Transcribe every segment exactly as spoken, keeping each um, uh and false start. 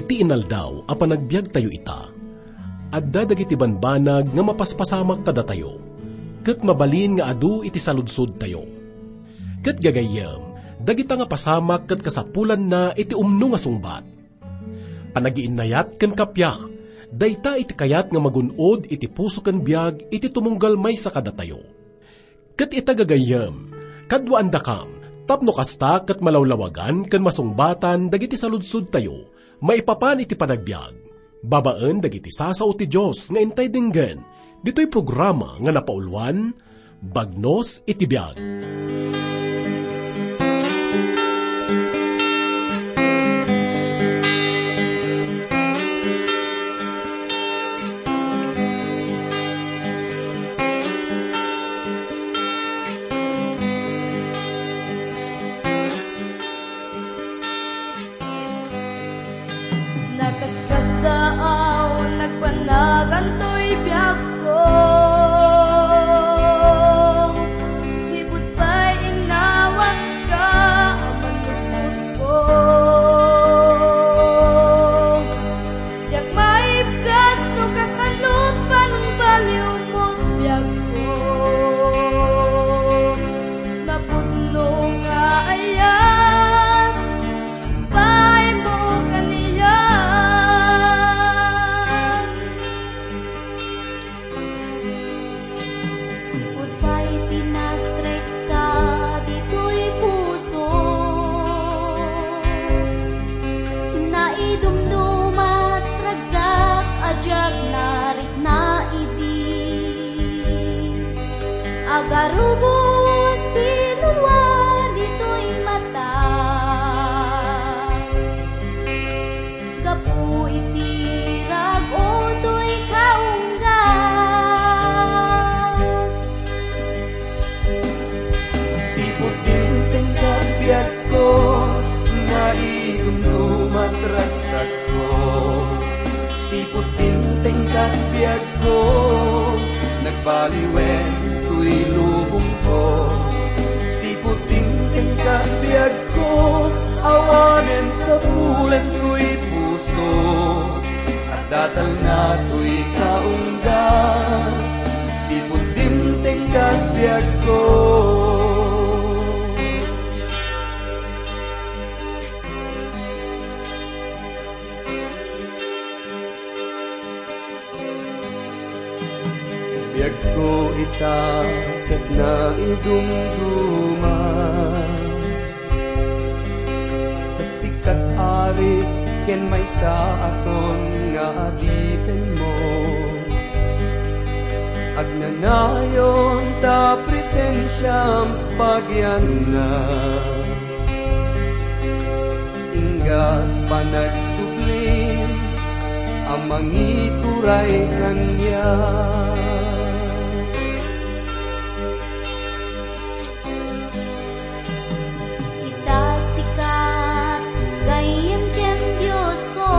Ti inaldaw a panagbiagtayo ita, adda dagiti banbanag nga mapaspasamak kadatayo, ket mabalin nga adu iti saludsodtayo. Ket gagayyem, dagita nga pasamak ket kasapulanna iti umno nga sungbat. Panagiinnayat ken kappia, dayta iti kayat nga magun-od iti puso ken biag iti tumunggal maysa kadatayo. Ket ita gagayyem, kaduaandakam, tapno kasta ket malawlawagan ken masungbatan dagiti saludsodtayo maipapan iti panagbiag, babaen dagiti sasao ti Dios nga intay denggen, ditoy programa nga napauluan, Bagnos iti Biag. Nakaskasdaaw, nagpanagan toy biagko. Sipud pay innawatka a manlukotko. Diak maibkas no kasano panungbaliwmo biagko. Napudno nga ayat, bainmo kaniak. Sipud pay pinastrekka ditoy puso, naidumdumat ragsak a diak narikna idi. Agarubos ti nulua ditoy mata. Gapu iti rag-o toy kaungga. Sipud dimteng kat biagko, naidumdumat ragsakko. Sipud dimteng kat biagko, nagbaliwen toy lubongko. Sipud dimteng kat biagko, awanen sapulen toy puso. Adda talna toy kaungga, sipud dimteng kat biagko. Biagko ita ket naidumduma. Ta sika ti ari ken maysa a ton nga adipenmo. Agnanayon ta presensiam pagianna. Ingga panagsubli a mangituray kaniak. Ita sika, gayyem ken Diosko,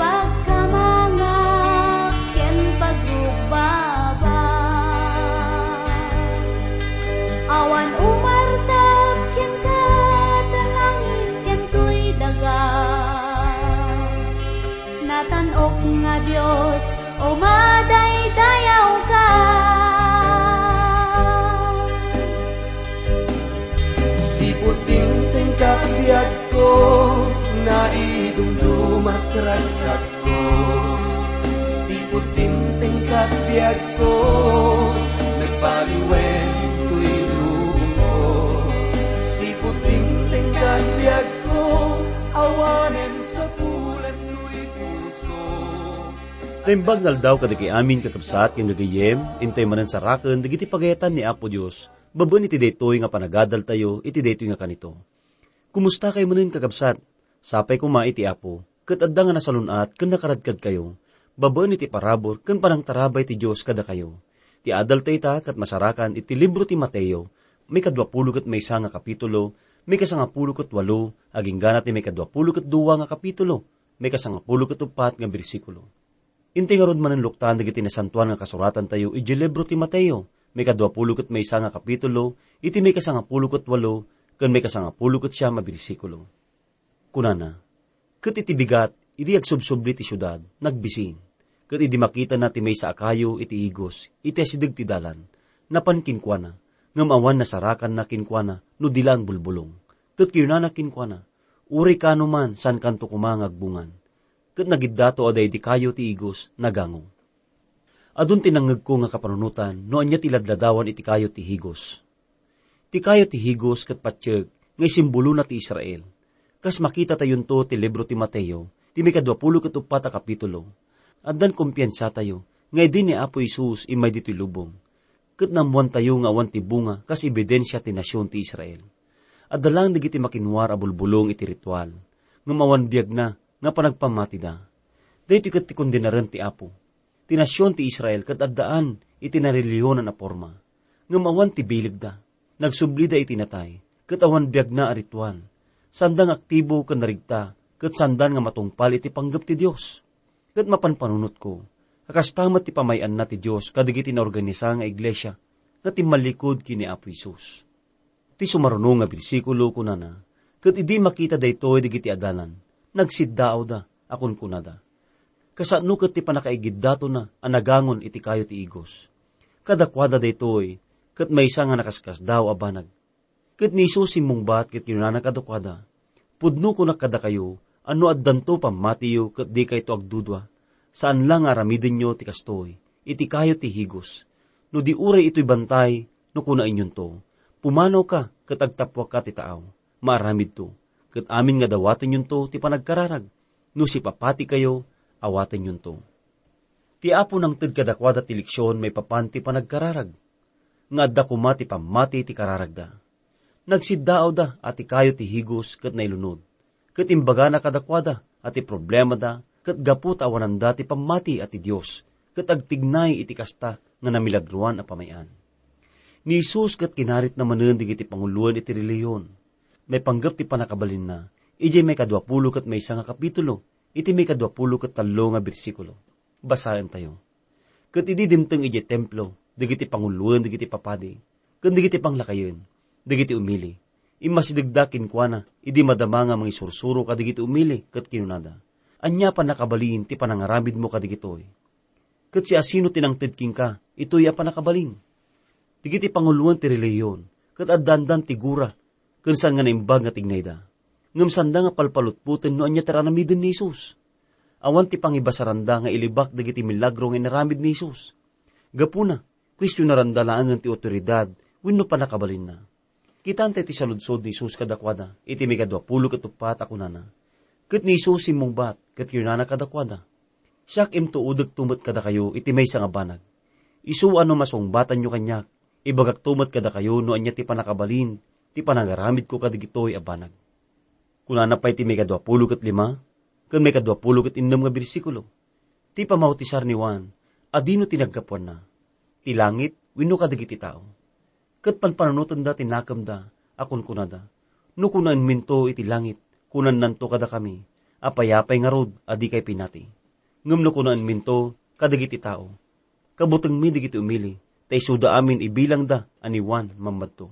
pagkamangak ken pagrukbabak. Awan umartak kenka, ta langit ken toy daga. Natan-ok nga Dios, umadaydayawka. Sipud dimteng kat biagko, naidumdumat ragsakko. Sipud dimteng kat biagko, nagbaliwen toy lubongko. Sipud dimteng kat biagko, awanen sapulen toy puso. Naimbag nga aldaw kadagiti amin, kakabsat, ken gagayyem, intay manen saraken dagiti pagayatan ni Apo Dios, babaen iti daytoy nga panagadaltayo iti daytoy nga kanito. Kumusta kay manen, kakabsat? Sapay koma iti Apo, ket adda nga nasalun-at ken nakaradkadkayo, babaen iti parabur ken panangtarabay ti Dios kadakayo. Ti adalta ita ket masarakan iti libro ti Mateo, maikadua pulo ket maysa nga kapitulo, maikasangapulo ket walo, agingga ti maikadua pulo ket dua nga kapitulo, maikasangapulo ket uppat nga bersikulo. Inti ngarud manen luktan dagiti nasantoan nga kasuratantayo idiay libro ti Mateo, maikadua pulo ket maysa nga kapitulo, iti maikasangapulo ket walo ken maikasangapulo ket siam a bersikulo. Kunana, ket iti bigat, idi agsubsubli ti siudad, nagbisin. Ket idi makitana ti maysa a kayo iti igos, iti asideg ti dalan, napan kenkuana, ngem awan nasarakanna kenkuana no di laeng bulbulong. Ket kinunana kenkuana, "Uray kano man, saankanto koma nga agbungan." Ket nagiddato a daydi kayo ti igos, nagango. Adun ti nangngegko nga kapanunotan no ania ti ladladawan iti kayo ti higos. Ti kayo ti higos ket patiek nga isimbolona ti Israel. Kas makitatayonto ti libro ti Mateo, ti maikadua pulo ket uppat a kapitulo, addan kumpiansatayo nga idi ni Apo Jesus immay ditoy lubong, ket naammoantayo nga awan ti bunga kas ebidensia ti nasion ti Israel. Adda laeng dagiti makinwar a bulbulong iti ritual, ngem awan biagna nga panagpammatida. Daytoy ket ti kondenaren ti Apo. Ti nasion ti Israel ket addaan iti narelihiyonan a porma, ngem awan ti bilegda. Nagsublida iti natay, ket awan biagna a ritual. Saanda nga aktibo ken narigta, ket saanda nga matungpal iti panggep ti Dios. Ket mapanpanunotko a kasta met ti pamay-anna ti Dios kadagiti naorganisa nga iglesia nga timmallikud ken ni Apo Jesus. Ti sumaruno nga bersikulo kunana, ket idi makita daytoy dagiti adalan, nagsiddaawda a kunkunada, "Kasano ket ti pannakaigiddatona a nagangon iti kayo ti igos? Kadakuada daytoy ket maysa nga nakaskasdaaw a banag." Ket ni Jesus simmungbat ket kinunana kadakuada, "Pudno kunak kadakayo a no addanto pammatiyo ket dikayto agdudua, saan la nga aramidenyo ti kastoy iti kayo ti higos. No di uray itoy bantay, no kunaenyonto, 'Pumanaw ka ket agtappuak ka ti taaw,' maaramidto, ket amin nga dawatenyonto ti panagkararag. No sipapatikayo, awatenyonto." Ti Apo nangted kadakuada ti leksion maipapan ti panagkararag, nga adda koma ti pammati ti kararagda. Nagsiddaawda a ti kayo ti higos ket nailunod, ket imbagana kadakuada a ti problemada ket gapu ta awananda ti pammati a ti Dios, ket agtignay iti kasta nga namilagroan a pamay-an. Ni Jesus ket kinaritna manen dagiti panguloen iti relihiyon. Maipanggep ti pannakabalinna idiay maikadua pulo ket maysa nga kapitulo, iti maikadua pulo ket tallo nga bersikulo. Basaentayo. Ket idi dimteng idiay templo dagiti panguloen dagiti papadi ken dagiti panglakayen, dagiti umili, immasidegda kenkuana idi madama nga mangisursuro kadagiti umili ket kinunada, "Ania a pannakabalin ti panangaramidmo kadagitoy? Ket siasino ti nangted kenka itoy a pannakabalin?" Dagiti panguloen ti relihiyon ket addandan ti gura ken saan nga naimbag nga tignayda. Ngem saanda nga palpalutpoten no ania ti aramiden ni Jesus. Awan ti pangibasaranda nga ilibak dagiti milagro nga inaramid ni Jesus. Gapuna, kuestionaranda laengen ti awtoridad wenno pannakabalinna. Kitaentayo ti saludsod ni Jesus kadakuada iti maikadua pulo ket uppat a kunana, ket ni Jesus simmungbat ket kinunana kadakuada, "Siak, imtuodekto met kadakayo iti maysa nga banag. Isu a no masungbatanyo kaniak, ibagakto met kadakayo no ania ti pannakabalin ti panangaramidko kadagitoy a banag." Kunana pay ti maikadua pulo ket lima ken maikadua pulo ket innem nga bersikulo, "Ti pamautisar ni Juan, adino ti naggapuanna? Ti langit wenno kadagiti tao?" Ket panpanunotenda ti nakemda a kunkunada, "No kunaenminto iti langit, kunannanto kadakami, 'Apay-apay ngarud a dikay pinati.' Ngem no kunaenminto kadagiti tao, 'Kabutengmi dagiti umili, ta isuda amin ibilangda a ni Juan Mammadto.'"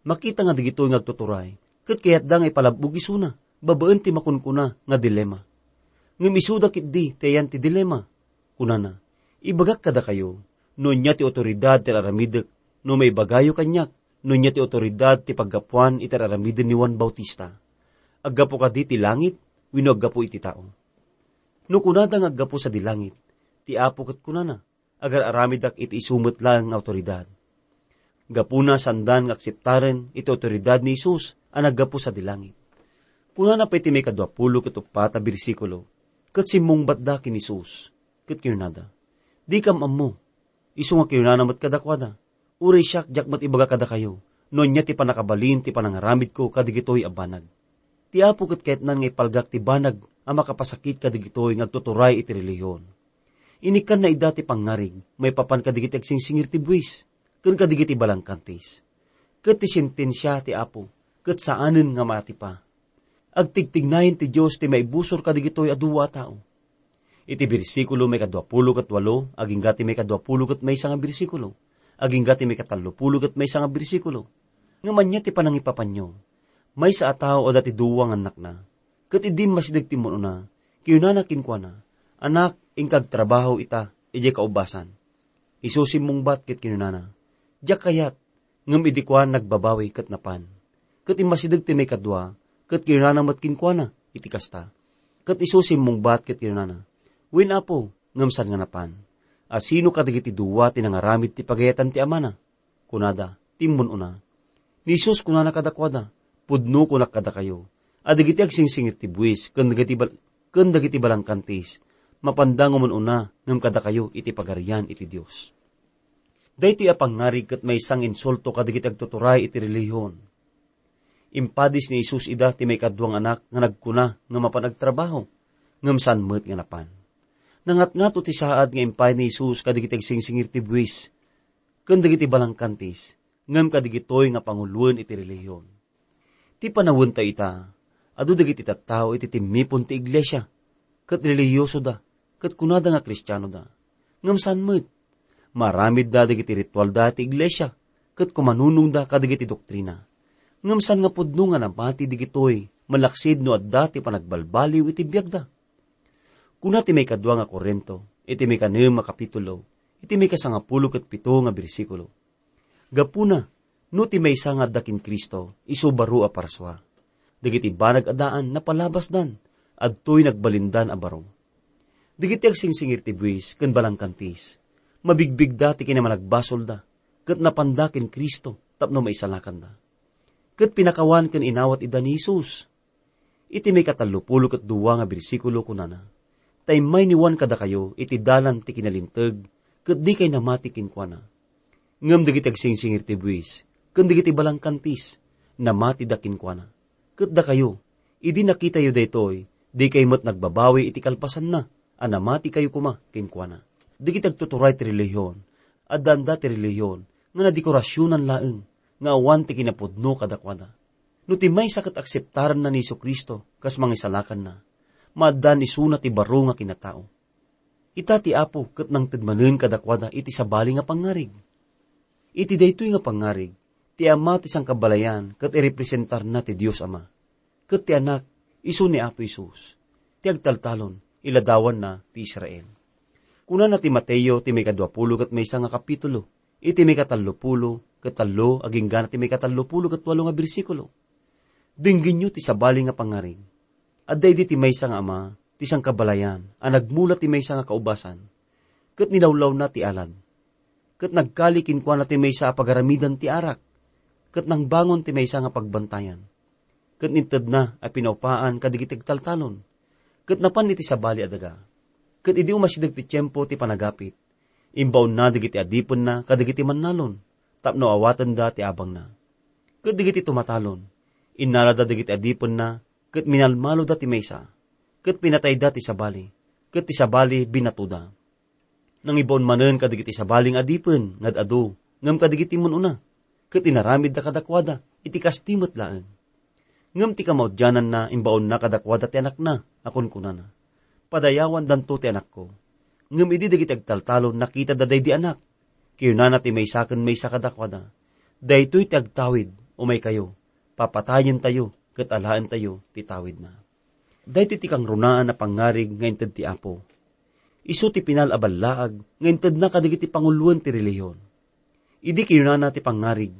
Makita nga dagitoy nga agtuturay ket kayatda nga ipalab-og isuna babaen ti makunkuna nga dilema. Ngem isuda ketdi ti ayan ti dilema. Kunana, "Ibagak kadakayo no ania ti awtoridad ti ar-aramidek no maibagayo kaniak no ania ti awtoridad ti paggapuan iti ar-aramiden ni Juan Bautista. Aggapu kadi ti langit wenno aggapu iti tao?" No kunada nga aggapu sadi langit, ti Apo ket kunana, "Agar-aramidak iti isu met laeng nga awtoridad." Gapuna, saandan nga akseptaren iti awtoridad ni Jesus a naggapu sadi langit. Kunana pay ti maikadua pulo ket uppat a bersikulo, ket simmungbatda ken Jesus, ket kinunada, "Dikam ammo." Isu nga kinunana met kadakuada, "Uray siak, diak met ibaga kadakayo no ania ti pannakabalin ti panangaramidko kadagitoy a banag." Ti Apo ket kayatnan nga ipalgak ti banag a makapasakit kadagitoy nga agtuturay iti relihiyon. Inikkanna ida ti pangngarig maipapan kadagiti agsingsingir ti buis ken kadagiti balangkantis. Ket ti sentensia ti Apo ket saanen nga maatipa. Agtigtignayen ti Dios ti maibusor kadagitoy a dua a tao. Iti bersikulo maikadua pulo ket walo agingga ti maikadua pulo ket maysa nga bersikulo, agingga ti maikatallo pulo ket maysa nga bersikulo, ngem ania ti panangipapanyo? Maysa a tao adda ti dua nga annakna. Ket idi immasideg ti immun-una, kinunana kenkuana, "Anak, inka agtrabaho ita idiay kaubasan." Isu simmungbat ket kinunana, "Diak kayat," ngem idi kuan, nagbabawi ket napan. Ket immasideg ti maikadua, ket kinunana met kenkuana iti kasta. Ket isu simmungbat ket kinunana, "Wen, Apo, ngem saan nga napan? A sino kadagiti dua ti nangaramid ti pagayatan ti amana?" Kunada, "Ti immun-una." Ni Jesus kunana kadakuada, "Pudno kunak kadakayo, a dagiti agsingsingir ti buis ken dagiti bal-, ken dagiti balangkantis, mapanda nga umun-una ngem kadakayo iti Pagarian iti Dios." Daytoy a pangngarig ket maysa nga insulto kadagiti agtuturay iti relihion. Impadis ni Jesus ida ti maikadua nga anak nga nagkuna nga mapan agtrabaho, ngem saan met nga napan. Nangatngato ti saad nga impay ni Jesus kadagiti agsingsingir ti buis ken dagiti balangkantis, ngem kadagitoy nga panguloen iti relihion. Ti panawenta ita, adu dagiti tattao iti timmipon ti iglesia, ket relihiyosoda, ket kunada nga Kristianoda. Ngem saan met. Maaramidda dagiti ritualda ti iglesia, ket kumanunongda kadagiti doktrina. Ngem saan nga pudno nga namati dagitoy, malaksid no adda ti panagbalbaliw iti biagda. Kuna ti maikadua nga Corinto, iti maikanem a kapitulo, iti maikasangapulo ket pito nga bersikulo, "Gapuna, no ti maysa nga adda ken Cristo, isu baro a parsua. Dagiti banag a daan, napalabasdan, adtoy nagbalindan a baro. Dagiti agsingsingir ti buis ken balangkantis, mabigbigda ti kinamanagbasolda, ket napanda ken Cristo tapno maisalakanda." Ket pinakawan ken inawat ida ni Jesus. Iti maikatallopulo ket dua nga bersikulo, kunana, "Ta immay ni Juan kadakayo iti dalan ti kinalinteg, ket dikay namati kenkuana. Ngem dagiti agsingsingir ti buis ken dagiti balangkantis, namatida kenkuana. Ket dakayo, idi nakitayo daytoy, dikay met nagbabawi iti kalpasanna a namatikayo koma kenkuana." Dagiti agtuturay ti relihion, addaanda ti relihion nga nadekorasionan laeng nga awan ti kinapudno kadakuada. No ti maysa ket akseptaranna ni Jesu-Cristo kas mangisalakanna, maaddaan isuna ti baro nga kinatao. Ita ti Apo ket nangted manen kadakuada iti sabali nga pangngarig. Iti daytoy nga pangngarig, ti Ama ti sangkabalayan ket irepresentarna ti Dios Ama, ket ti Anak isu ni Apo Jesus, ti agtaltalon, iladawanna ti Israel. Kunana ti Mateo ti maikaduapulo ket maysa nga kapitulo, iti maikatallopulo ket tallo, agingga ti maikatallopulo ket walo nga bersikulo, "Denggenyo ti sabali nga pangngarig. Adda idi ti maysa nga ama ti sangkabalayan a nagmula ti maysa nga kaubasan, ket nilawlawna ti alad. Ket nagkali kenkuana ti maysa a pagaramidan ti arak, ket nangbangon ti maysa nga pagbantayan, ket intedna a pinaupaan kadagiti agtaltalon, ket napan iti sabali a daga. Ket idi umasideg ti tiempo ti panagapit, imbaonna dagiti adipenna kadagiti mannalon, tapno awatenda ti abangna. Ket dagiti tumatalon, innalada dagiti adipenna, ket minalmaloda ti maysa, ket pinatayda ti sabali, ket ti sabali binatoda. Nangibaon manen kadagiti sabali nga adipen nga ad-adu ngem kadagiti immun-una, ket inaramidda kadakuada iti kasta met laeng. Ngem ti kamaudiananna imbaonna kadakuada ti anakna a kunkunana, 'Padayawandanto ti anakko.' Ngem idi dagiti agtaltalon nakitada daydi anak, kinunana ti maysa ken maysa kadakuada, 'Daytoy ti agtawid, umaykayo, papatayentayo ket alaentayo ti tawidna.'" Daytoy ti kangrunaan a pangngarig nga inted ti Apo. Isu ti pinal a ballaag nga intedna kadagiti panguloen ti relihion. Idi kinunana ti pangngarig,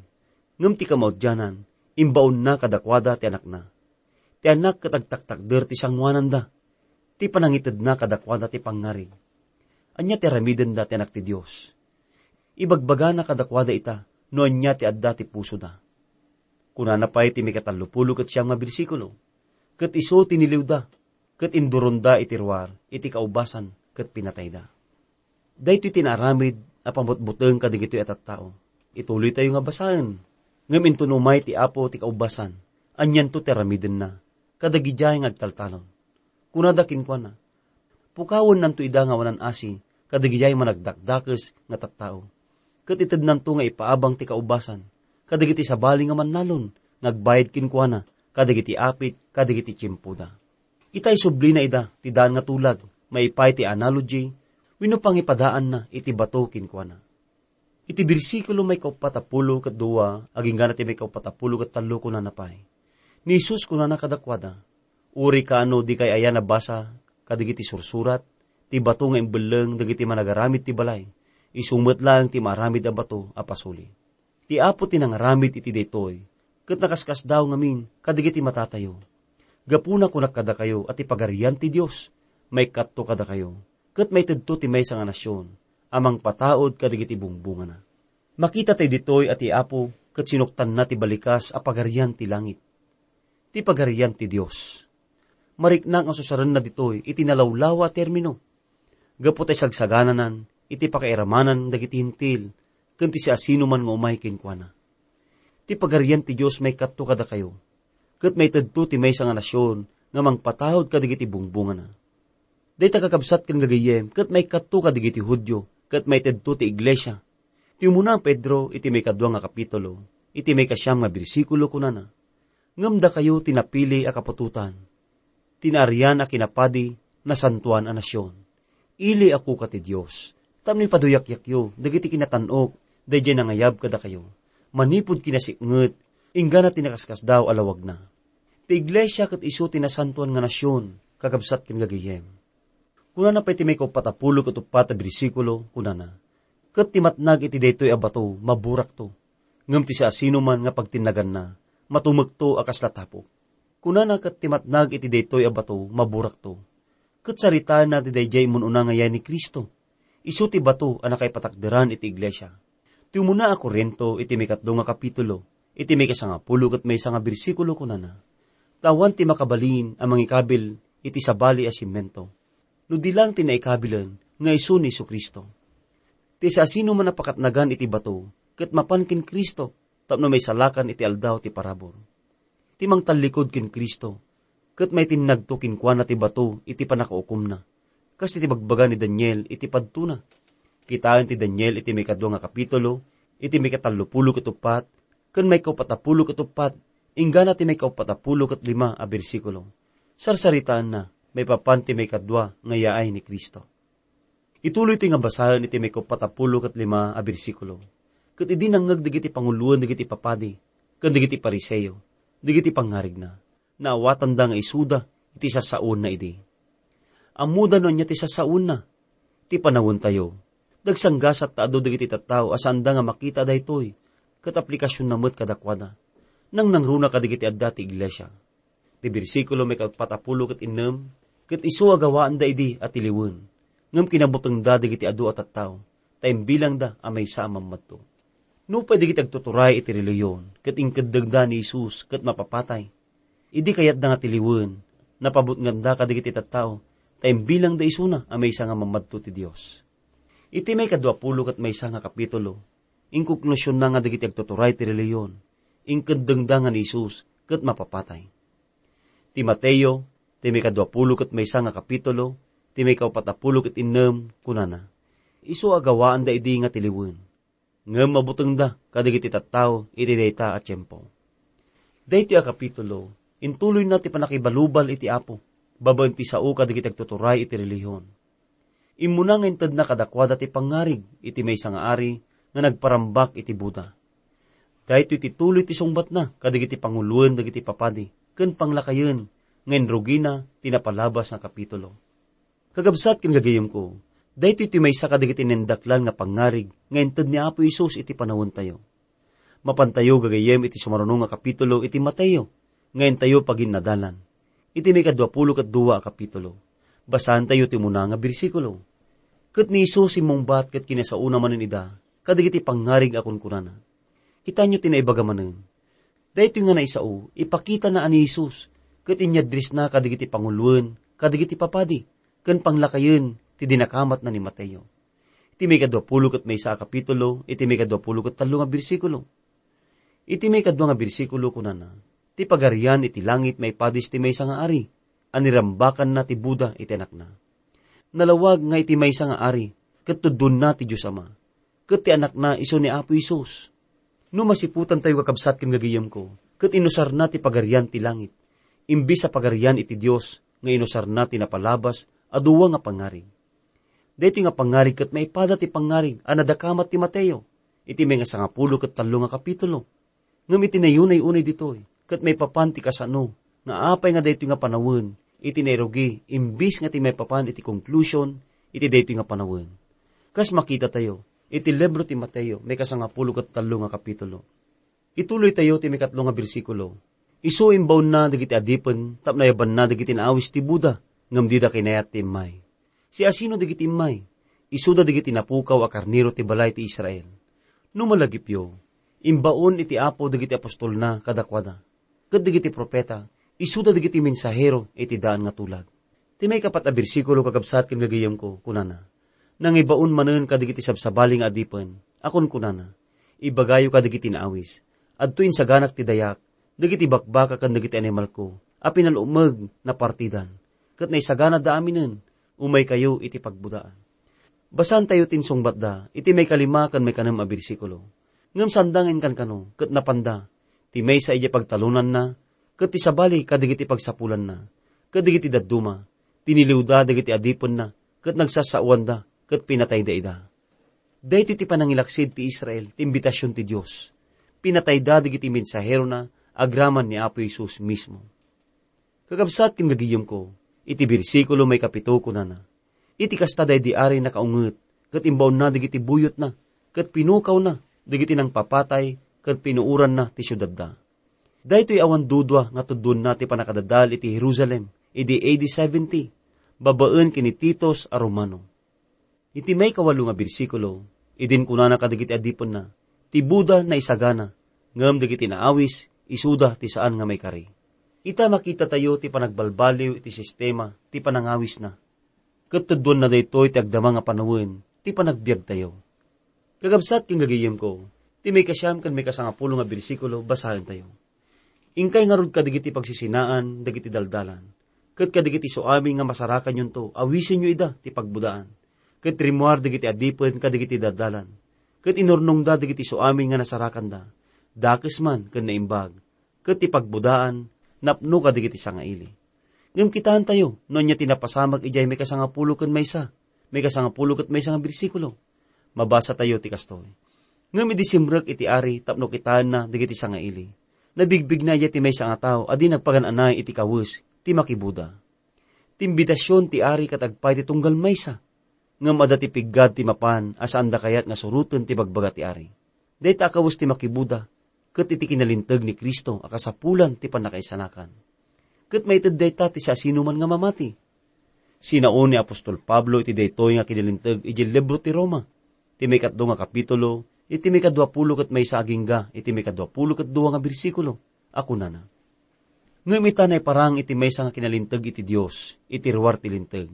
ngem ti kamaudianan, imbaonna kadakuada ti anakna. Ti anak ket agtaktakder ti sangoananda, ti panangitedna kadakuada ti pangngarig. Ania ti aramidenda ti Anak ti Dios? Ibagbagana kadakuada ita no ania ti adda ti pusoda. Kunana pay ti maikatallopulo ket siam nga bersikulo, "Ket isu ti niliwda, ket induronda iti ruar iti kaubasan ket pinatayda." Daytoy ti naaramid a pamutbuteng kadagitoy a tattao. Ituloytayo nga basaen. Ngem inton umay ti Apo ti kaubasan, anianto ti aramidenna kadagidiay nga agtaltalon? Kunada kenkuana, "Pukawennanto ida nga awanan asi kadagidiay managdakdakes nga tattao, ket itednanto nga ipaabang ti kaubasan kadagiti sabali nga mannalon nga agbayad kenkuana kadagiti apit kadagiti tiempoda." Ita isublina ida ti daan nga tulag, maipay ti analogy wenno pangipadaanna iti bato kenkuana. Iti bersikulo maikauppat a pulo ket dua agingga ti maikauppat a pulo ket tallo, kunana pay, "Ni Jesus kunana kadakuada, Uray kaano dikay aya nabasa kadagiti sursurat, ti bato nga imbelleng dagiti managaramid ti balay, isu met laeng ti maaramid a bato a pasuli. Ti Apo ti nangaramid iti daytoy, ket nakaskasdaaw ngamin kadagiti matatayo. Gapuna kunak kadakayo a ti Pagarian ti Dios maikkatto kadakayo, ket maitedto ti maysa nga nasion a mangpataud kadagiti bungbungana. Makita tayo ditoy a ti Apo ket sinuktanna ti balikas a pagarian ti langit. Ti Pagarian ti Dios. Marikna nga susarenna ditoy iti nalawlawa a termino. Gapu ta isagsagananan iti pakairamanan dagiti Hentil ken ti siasinoman nga umay kenkuana. Ti Pagarian ti Dios maikkatto kadakayo, ket maitedto ti maysa nga nasion nga mangpataud kadagiti bungbungana. Dayta kakabsat ken gagayyem ket maikkatto kadagiti Judio ket maitedto ti iglesia. Ti umuna a Pedro iti maikadua nga kapitulo, iti maikasiam nga bersikulo, kunana, "Ngem dakayo ti napili a kaputotan, ti naarian a kinapadi, nasantoan a nasion, ili a kuka ti Dios, tapno ipaduyakyakyo dagiti kinatan-ok daydiay nangayab kadakayo, manipud kinasiknget, inggana ti nakaskasdaaw a lawagna." Ti iglesia ket isu ti nasantoan nga nasion, kakabsat ken gagayyem. Kunana pay ti maikaupat a pulo ket uppat a bersikulo, kunana, "Ket ti matnag iti daytoy a bato, maburakto, ngem ti siasinoman nga pagtinnaganna, matumekto a kasla tapok." Kunana ket ti matnag iti daytoy a bato, maburakto. Ket saritaenna ti daydiay immun-una nga yaay ni Cristo. Isu ti bato a nakaipatakderan iti iglesia. Ti umuna a Corinto iti maikatlo nga kapitulo, iti maikasangapulo ket maysa nga bersikulo, kunana, "Ta awan ti makabalin a mangikabil iti sabali a simento, no di laeng ti naikabilen nga isu ni Jesu-Cristo." Ti siasinoman a pakatnagan iti bato ket mapan ken Cristo tapno maisalakan iti aldaw ti parabur. Ti mangtallikud ken Cristo ket maitinnagto kenkuana ti bato iti pannakaukomna, kas iti bagbaga ni Daniel iti padtona. Kitaen ti Daniel iti maikadua nga kapitulo, iti maikatallopulo ket uppat, ken maikaupat a pulo ket uppat, inggana ti maikaupat a pulo ket lima a bersikulo. Sarsaritaenna maipapan ti maikadua nga yaay ni Cristo. Ituloy toy nga basaen iti maikaupat a pulo ket lima a bersikulo. Ket idi nangngeg dagiti panguloen dagiti papadi ken dagiti Fariseo dagiti pangngarigna, naawatanda nga isuda iti sassaoenna idi. Ammoda no ania ti sassaoenna. Ti panawentayo, dagsanggasat ta adu dagiti tattao a saanda nga makita daytoy, ket aplikasionna met kadakuada. Nangnangruna kadagiti adda ti iglesia. Ti bersikulo maikaupat a pulo ket innem, ket isu a gawaanda idi a tiliwen, ngem kinabutengda dagiti adu a tattao, ta imbilangda a maysa a mammadto. Nupay dagiti agtuturay iti relihiyon ket inkeddengda ni Jesus ket mapapatay, idi kayatda nga tiliwen, napabutnganda kadagiti tattao, ta imbilangda isuna a maysa nga mammadto ti Dios. Iti maikadua pulo ket maysa nga kapitulo, inkuklusionna nga dagiti agtuturay ti relihiyon, inkeddengda nga ni Jesus ket mapapatay. Ti Mateo, ti maikadua pulo ket maysa nga kapitulo, ti maikaupat a pulo ket innem, kunana, "Isu a gawaanda idi nga tiliwen, ngem mabutengda kadagiti tattao iti dayta a tiempo." Daytoy a kapitulo, intuloyna ti pannakibalubal iti Apo babaen ti sao kadagiti agtuturay iti relihiyon. Immuna nga intedna kadakuada ti pangngarig iti maysa nga ari nga nagparambak iti buda. Daytoy ti tuloy ti sungbatna kadagiti panguloen dagiti papadi ken panglakayen nga inrugina ti napalabas nga kapitulo. Kakabsat ken gagayyemko, daytoy ti maysa kadagiti naindaklan nga pangngarig nga inted ni Apo Jesus iti panawentayo. Mapantayo gagayyem iti sumaruno nga kapitulo iti Mateo nga intayo paginnadalan. Iti maikadua pulo ket dua a kapitulo, basaantayo ti umuna nga bersikulo. Ket ni Jesus simmungbat ket kinasaona manen ida kadagiti pangngarig a kunkunana, "Kitaenyo ti naibaga manen." Daytoy nga naisao, ipakitana a ni Jesus ket inyadrisna kadagiti panguloen, kadagiti papadi, ken panglakayen ti dinakamatna ni Mateo. Iti maikadua pulo ket maysa a kapitulo, iti maikadua pulo ket tallo nga bersikulo. Iti maikadua nga bersikulo, kunana, "Ti pagarian iti langit maipadis ti maysa nga ari a nirambakanna ti buda iti anakna. Nalawag nga iti maysa nga ari ket tuddonna ti Dios Ama, ket ti anakna isu ni Apo Jesus." No masiputantayo, kakabsat ken gagayyemko, ket inusarna ti pagarian ti langit, imbes a pagarian iti Dios nga inusarna ti napalabas a dua nga pangngarig. Daytoy nga pangngarig ket maipada ti pangngarig a nadakamat ti Mateo iti maikasangapulo ket tallo nga kapitulo. Ngem iti nayunay-unay ditoy, ket maipapan ti kasano nga apay nga daytoy nga panawen iti nairugi imbis nga ti maipapan iti konklusion iti daytoy nga panawen. Kas makitatayo iti libro ti Mateo, maikasangapulo ket tallo nga kapitulo. Ituloytayo ti maikatlo nga bersikulo. Isu imbaonna dagiti adipen tapno ayabanna dagiti naawis ti Buda, ngem dida kinayat ti immay. Siasino dagiti immay? Isuda dagiti napukaw a karnero ti balay ti Israel. No malagipyo, imbaon iti Apo dagiti apostolna kadakuada, ket dagiti profeta, isuda dagiti mensahero iti daan nga tulag. Ti maikapat a bersikulo, kakabsat ken gagayyemko, kunana, "Nangibaon manen kadagiti sabsabali nga adipen, a kunkunana, 'Ibagayo kadagiti naawis, adto insaganak ti dayak, dagiti bakbaka ken dagiti animalko a pinalumeg napartidan, ket naisaganada aminen, umaykayo iti pagbudaan.'" Basaentayo ti insungbatda iti maikalima ken maikanem a bersikulo. Ngem saanda nga inkankano ket napanda, ti maysa idiay pagtalonanna, ket ti sabali kadagiti pagsapulanna, ket dagiti dadduma, tiniliwda dagiti adipenna, ket nagsasawanda, ket pinatayda ida. Daytoy ti panangilaksid ti Israel, ti imbitasion ti Dios. Pinatayda dagiti mensaherona agraman ni Apo Jesus mismo. Kakabsat ken gagayyemko, iti bersikulo maikapito kunana, "Iti kasta daydi ari nakaunget, ket imbaonna dagiti buyotna, ket pinukawna dagiti nangpapatay, ket pinuoranna ti siudadda." Daytoy awan dudua nga tudduanna ti pannakadadael iti Jerusalem idi A D seventy, babaen ken ni Titus a Romano. Iti maikawalo nga bersikulo, idin kunana kadagiti adipenna, "Ti Buda naisagana, ngem dagiti naawis, isuda ti saan nga maikari." Ita makitatayo ti panagbalbaliw iti sistema ti panangawisna. Ket tudduanna daytoy ti agdama nga panawen ti panagbiagtayo. Kakabsat ken gagayyemko, ti maikasiam ken maikasangapulo nga bersikulo, basaentayo. "Inkay ngarud kadagiti pagsisinaan dagiti daldalan, ket kadagiti suamin nga masarakanyonto, awisenyo ida ti pagbudaan. Ket rimmuar dagiti adipen kadagiti daldalan, ket inurnongda dagiti suamin nga nasarakanda, dakes man ken naimbag, ket ti pagbudaan napno kadagiti sangaili." Ngem kitaentayo no ania ti napasamak idiay maikasangapulo ken maysa, maikasangapulo ket maysa nga bersikulo. Mabasatayo ti kastoy, "Ngem idi simrek iti ari tapno kitaenna dagiti sangaili, nabigbigna idiay ti maysa nga tao a di nagpagan-anay iti kawes ti makibuda." Ti imbitasion ti ari ket agpay ti tunggal maysa, ngem adda ti piggad ti mapan a saanda kayat nga suroten ti bagbaga ti ari. Dayta a kawes ti makibuda ket iti kinalinteg ni Cristo a kasapulan ti pannakaisalakan. Ket maited dayta ti siasinoman nga mamati. Sinao ni apostol Pablo iti daytoy nga kinalinteg idiay libro ti Roma, ti maikatlo nga kapitulo, iti maikaduapulo ket maysa agingga iti maikaduapulo ket dua nga bersikulo, a kunana, "Ngem ita naiparang iti maysa nga kinalinteg iti Dios iti ruar ti linteg.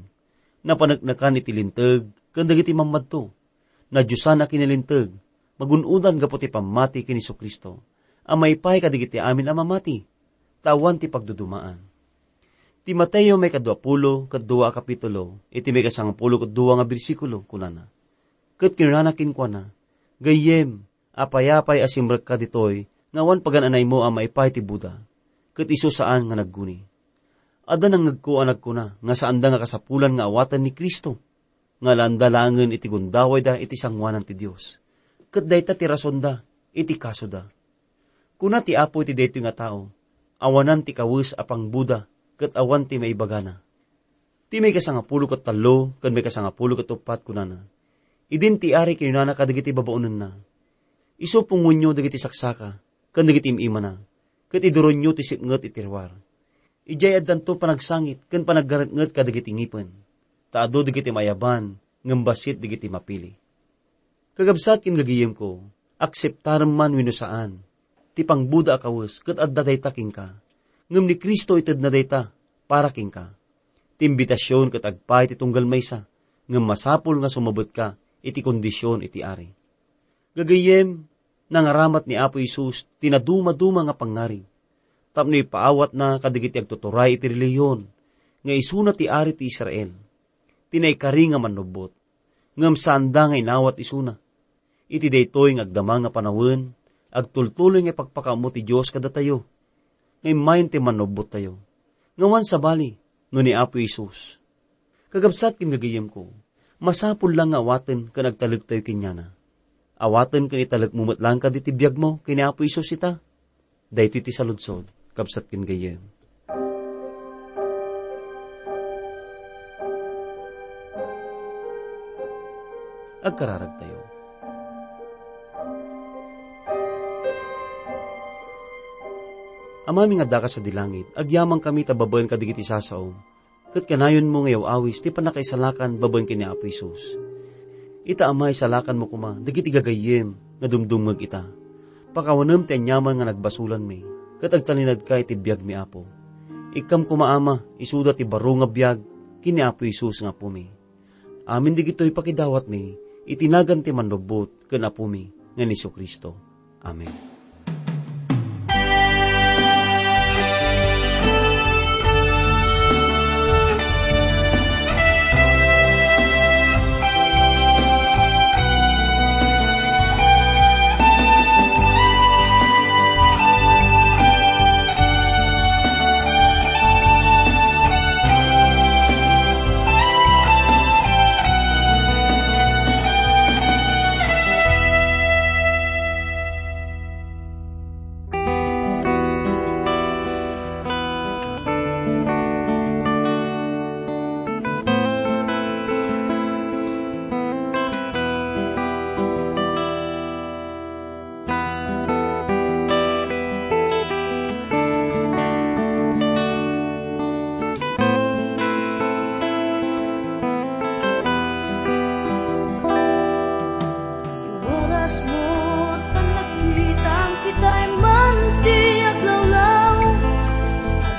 Napaneknekan iti linteg ken dagiti mammadto. Nadiosan a kinalinteg, magun-odan gapu ti pammati ken Jesu-Cristo, a maipaay kadagiti amin a mamati, ta awan ti pagdudumaan." Ti Mateo maikaduapulo ket dua a kapitulo, iti maikasangapulo ket dua nga bersikulo, kunana, "Ket kinunana kenkuana, 'Gayyem, apay-apay a simrekka ditoy nga awan pagan-anaymo a maipaay ti Buda, ket isu saan nga nagguni.' Adda nangngegko a nagkuna nga saanda nga kasapulan nga awaten ni Cristo, nga alaenda laengen iti gundawayda iti sangoanan ti Dios. Ket dayta ti rasonda iti kasoda. Kuna ti Apo iti daytoy nga tao, awanan ti kawes a pangbuda ket awan ti maibagana." Ti maikasangapulo ket tallo ken maikasangapulo ket uppat kunana, "Idin ti ari kinunana kadagiti babaonenna, 'Isu pungonyo dagiti saksaka ken dagiti im-imana, ket iduronyo ti sipnget iti ruar. Idiay addanto panagsangit ken panaggaretnget kadagiti ngipen, ta adu dagiti maayaban ngem bassit dagiti mapili.'" Kakabsat ken gagayyemko, akseptarem man wenno saan, ti pangbuda a kawes ket adda dayta kenka. Ngem ni Cristo itedna dayta para kenka. Ti imbitasion ket agpay ti tunggal maysa, ngem masapul nga sumabetka iti kondision iti ari. Gagayyem, nangaramat ni Apo Jesus ti nadumaduma nga pangngarig tapno ipaawatna kadagiti agtuturay iti relihiyon nga isuna ti ari ti Israel, ti naikari nga mannubbot, ngem saanda nga inawat isuna. Iti daytoy nga agdama nga panawen, agtultuloy nga ipakpakaammo ti Dios kadatayo nga immayen ti mannubbottayo. Nga awan sabali no ni Apo Jesus. Kakabsat ken gagayyemko, masapul la nga awaten ken agtalektayo kenkuana. Awaten ken italekmo met laeng kadi ti biagmo ken ni Apo Jesus ita. Daytoy ti saludsod, kabsat ken gayyem. Agkararagtayo. Amami nga addaka sadi langit, agyamankami ta babaen kadagiti sasaom, ket kanayonmo nga iyaw-awis ti pannakaisalakan babaen ken ni Apo Jesus. Ita, Ama, isalakanmo koma dagiti gagayyem nga dumdumngeg ita. Pakawanem ti aniaman nga nagbasolanmi, ket agtalinaedka iti biagmi, Apo. Ikkam koma, Ama, isuda ti baro nga biag ken ni Apo Jesus nga Apomi. Amin dagitoy pakidawatmi iti nagan ti Mannubbot ken Apomi nga ni Jesu-Cristo. Amen. Oras mo, panagkitam, kitay man ti aglawlaw.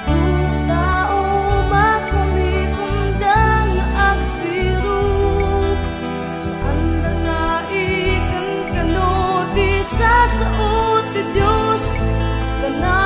Adu tao, makamikumda nga agbirok. Saanda nga ikankano ti sasao ti Dios. Kana